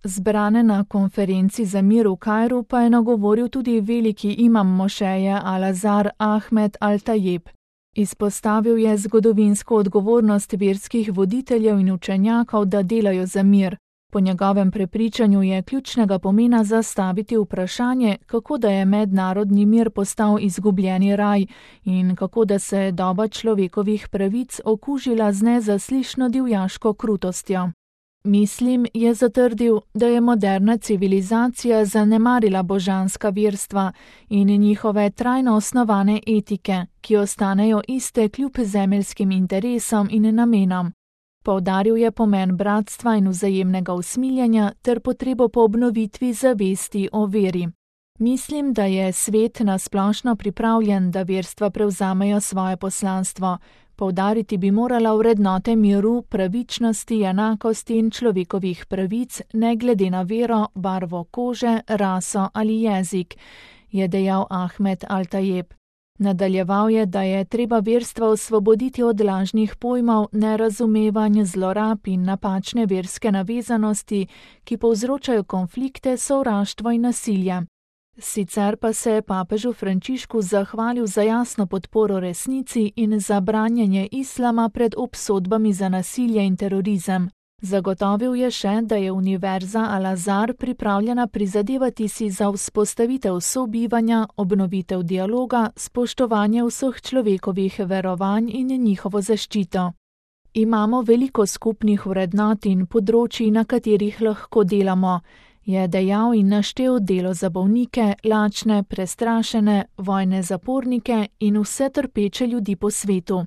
Zbrane na konferenci za mir v Kairu pa je nagovoril tudi veliki imam mošeje Al-Azhar Ahmed Al-Tajeb. Izpostavil je zgodovinsko odgovornost verskih voditeljev in učenjakov, da delajo za mir. Po njegovem prepričanju je ključnega pomena zastaviti vprašanje, kako da je mednarodni mir postal izgubljeni raj in kako da se je doba človekovih pravic okužila z nezaslišno divjaško krutostjo. Mislim, je zatrdil, da je moderna civilizacija zanemarila božanska verstva in njihove trajno osnovane etike, ki ostanejo iste kljub zemeljskim interesom in namenom. Poudaril je pomen bratstva in vzajemnega usmiljenja ter potrebo po obnovitvi zavesti o veri. Mislim, da je svet nasplošno pripravljen, da verstva prevzamejo svoje poslanstvo. Poudariti bi morala vrednote miru, pravičnosti, enakosti in človekovih pravic, ne glede na vero, barvo kože, raso ali jezik, je dejal Ahmed Al-Tajeb. Nadaljeval je, da je treba verstva osvoboditi od lažnih pojmov, nerazumevanj, zlorab in napačne verske navezanosti, ki povzročajo konflikte, sovraštvo in nasilje. Sicer pa se je papežu Frančišku zahvalil za jasno podporo resnici in za branjenje islama pred obsodbami za nasilje in terorizem. Zagotovil je še, da je Univerza Al-Azhar pripravljena prizadevati si za vzpostavitev sobivanja, obnovitev dialoga, spoštovanje vseh človekovih verovanj in njihovo zaščito. Imamo veliko skupnih vrednot in področij, na katerih lahko delamo, je dejal in naštel delo za bolnike, lačne, prestrašene, vojne zapornike in vse trpeče ljudi po svetu.